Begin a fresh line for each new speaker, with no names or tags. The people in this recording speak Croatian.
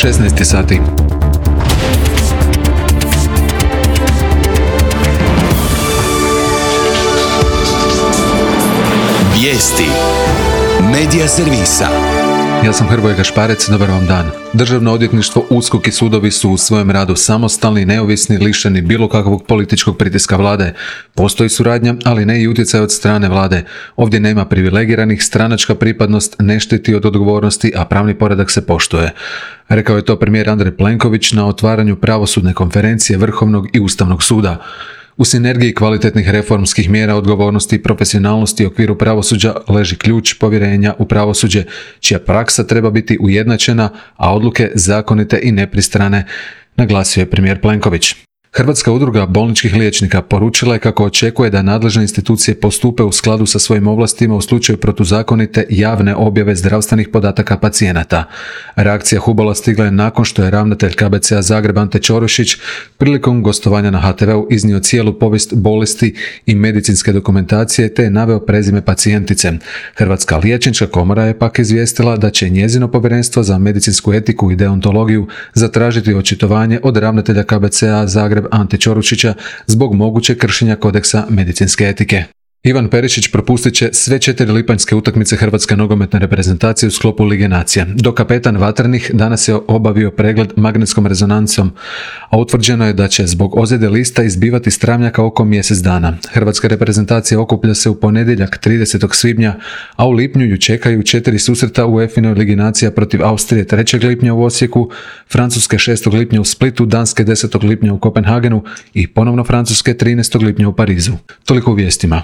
16 sati.
Vijesti Medija servisa.
Ja sam Hrvoje Gašparec, dobar vam dan. Državno odvjetništvo, USKOK i sudovi su u svojem radu samostalni, neovisni, lišeni bilo kakvog političkog pritiska vlade. Postoji suradnja, ali ne i utjecaj od strane vlade. Ovdje nema privilegiranih, stranačka pripadnost ne štiti od odgovornosti, a pravni poredak se poštuje. Rekao je to premijer Andrej Plenković na otvaranju pravosudne konferencije Vrhovnog i Ustavnog suda. U sinergiji kvalitetnih reformskih mjera, odgovornosti i profesionalnosti u okviru pravosuđa leži ključ povjerenja u pravosuđe, čija praksa treba biti ujednačena, a odluke zakonite i nepristrane, naglasio je premijer Plenković. Hrvatska udruga bolničkih liječnika poručila je kako očekuje da nadležne institucije postupe u skladu sa svojim ovlastima u slučaju protuzakonite javne objave zdravstvenih podataka pacijenata. Reakcija HUBOL-a stigla je nakon što je ravnatelj KBC-a Zagreb Ante Ćorušić prilikom gostovanja na HTV-u iznio cijelu povijest bolesti i medicinske dokumentacije te je naveo prezime pacijentice. Hrvatska liječnička komora je pak izvijestila da će njezino povjerenstvo za medicinsku etiku i deontologiju zatražiti očitovanje od ravnatelja KBC-a Zagreb Ante Ćorušića zbog mogućeg kršenja kodeksa medicinske etike. Ivan Perišić propustit će sve 4 lipanjske utakmice hrvatske nogometne reprezentacije u sklopu Lige nacija. Dok kapetan Vatrenih danas je obavio pregled magnetskom rezonancom, a utvrđeno je da će zbog ozljede lista izbivati s travnjaka oko mjesec dana. Hrvatska reprezentacija okuplja se u ponedjeljak 30. svibnja, a u lipnju ju čekaju 4 susreta u UEFA-inoj Ligi nacija protiv Austrije 3. lipnja u Osijeku, Francuske 6. lipnja u Splitu, Danske 10. lipnja u Kopenhagenu i ponovno Francuske 13. lipnja u Parizu. Toliko u vijestima.